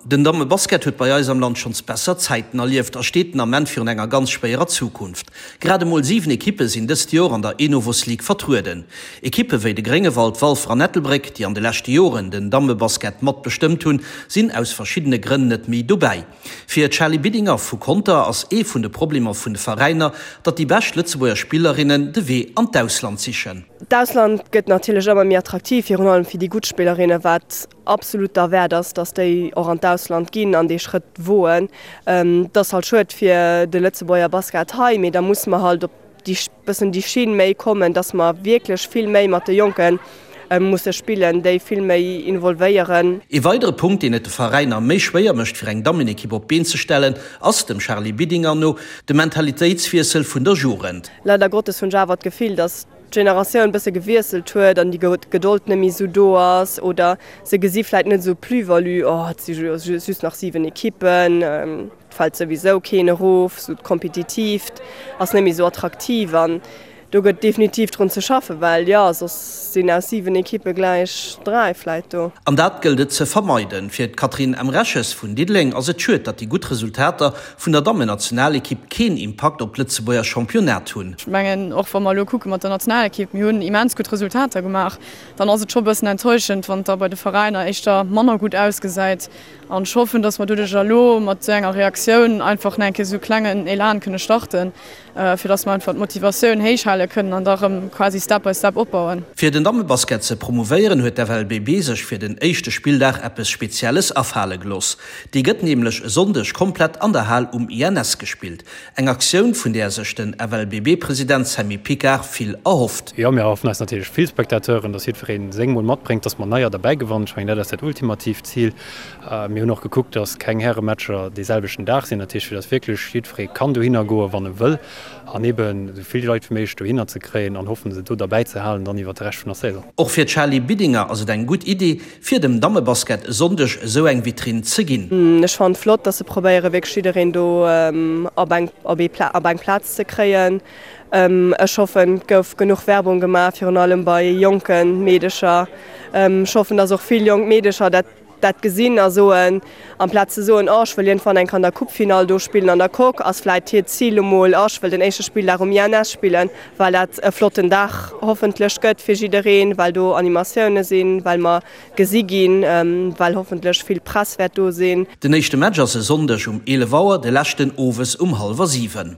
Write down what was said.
Den Dammebasket huet bei eis am Land schonns besser Zäiten erlieft a steet den Ament virun enger ganz schwéierer Zukunft. Grad emol 7 Ekippe sinn dëst Joer an der Enovos League vertrueden. Ekippe wéi de Gréngewald, Walfer an Ettelbréck, déi an de leschte Joren den Dammebasket mat bestëmmt hunn, sinn aus verschiddene Grënn net méi dobäi. Fir d'Charly Bidinger vu Conter ass ee vun de Problemer vun de Veräiner, datt déi bescht Lëtzebuerger Spillerinnen de Wee an d'Ausland sichen. D'Ausland gëtt natierlech ëmmer méi attraktiv, virun allem fir déi gutt Spillerinnen, wat absolut derwäert ass, datt déi och an d'Ausland ginn an dee Schrëtt woen. Et ass halt schued fir de Lëtzebuerger Basket hei, mee da musse mer halt op déi bëssen déi Schinn méi kommen, datt mer wierklech vill méi mat de Jonke musse spillen, déi vill méi involvéieren. Ee weidere Punkt, deen et de Veräiner méi schwéier mécht fir eng Dammenekipp op d'Been ze stellen, ass dem Charly Bidinger no de Mentalitéitswiessel vun der Jugend. Leider Gottes hunn ech awer d'Gefill, datt d'Generatioun bësse gewiesselt huet an déi Gedold net méi esou do ass oder se gesi vläit net esou d'Plus-value, oh et si jo just nach 7 Ekippen, et fält souwisou keen erof, esou d'Kompetitiivt ass net méi esou attraktiv an do gëtt definitiv drun ze schaffen, well jo soss sinn aus 7 Ekippe gläich 3 vläit do. An dat gëllt et ze vermeiden. Fir d'Catherine Emreches vun Diddeleng ass et schued, datt déi gutt Resultater vun der Dammennationalekipp keen Impakt op d'Lëtzebuerger Championnat hunn. Ech mengen, och wa mer elo kucke mat der Nationalekipp, mir hunn immens gutt Resultater gemaach, dann ass et scho e bëssen enttäuschend, wann et da bei de Veräiner éischter manner gutt ausgesäit. An ech hoffen, datt mer doduercher elo mat esou enger Reaktioun einfach nach eng Kéier esou e klengen Elan kënne starten, fir datt mer einfach d'Motivatioun héich hale kënnen an da erëm quasi step by step opbauen. Fir den Dammebasket ze promouvéieren, huet d'FLBB sech fir den éischte Spilldag eppes Spezielles afale gelooss. Déi gëtt nämlech e Sonndeg komplett an der Hal um INS gespillt. Eng Aktioun, vun där sech den FLBB-President Sammy Picard vill erhofft. Jo, mir erhoffen eis natierlech vill Spectateuren, dass jiddweree seng mol matbréngt, dass mer neier derbäi gewannen. Ech mengen, dat ass dat ultimatiivt Zil. Mir hunn och gekuckt, dass keng Härematcher dee selwechten Dag sinn, dat heescht, fir dass wierklech jiddweree kann dohinner goen, wann e wëll, an eeben esou vill Leit wéi méiglech dohinner ze kréien an hoffen, se do derbäi ze halen dann iwwert de Rescht vun der Saison. Och fir d'Charly Bidinger ass et eng gutt Iddi, Fir dem Dammebasket e Sonndeg esou eng Vitrinn ze ginn. Ech fannen et flott, dass se probéieren wierklech jiddereen do op eng op ee op eng Plaz ze kréien. Ech hoffen et gouf genuch Werbung gemaach, virun allem bei jonke Meedecher. Ech hoffen, dass och vill jonk Meedecher dat dat gesinn a soen, amplaz ze soen, oh ech wëll iergendwann eng Kéier an der Coupefinall do spillen an der Coque, ass vläit hiert Zil emol, oh ech wëll den éischte Spilldag um INS spillen. Well dat e flotten Dag hoffentlech gëtt fir jiddereen, well do Animatioune sinn, well mer gesi ginn, well hoffentlech vill Press wäert do sinn. Den éischte Match ass e Sonndeg um 11 Auer, de leschten owes um hallwer 7.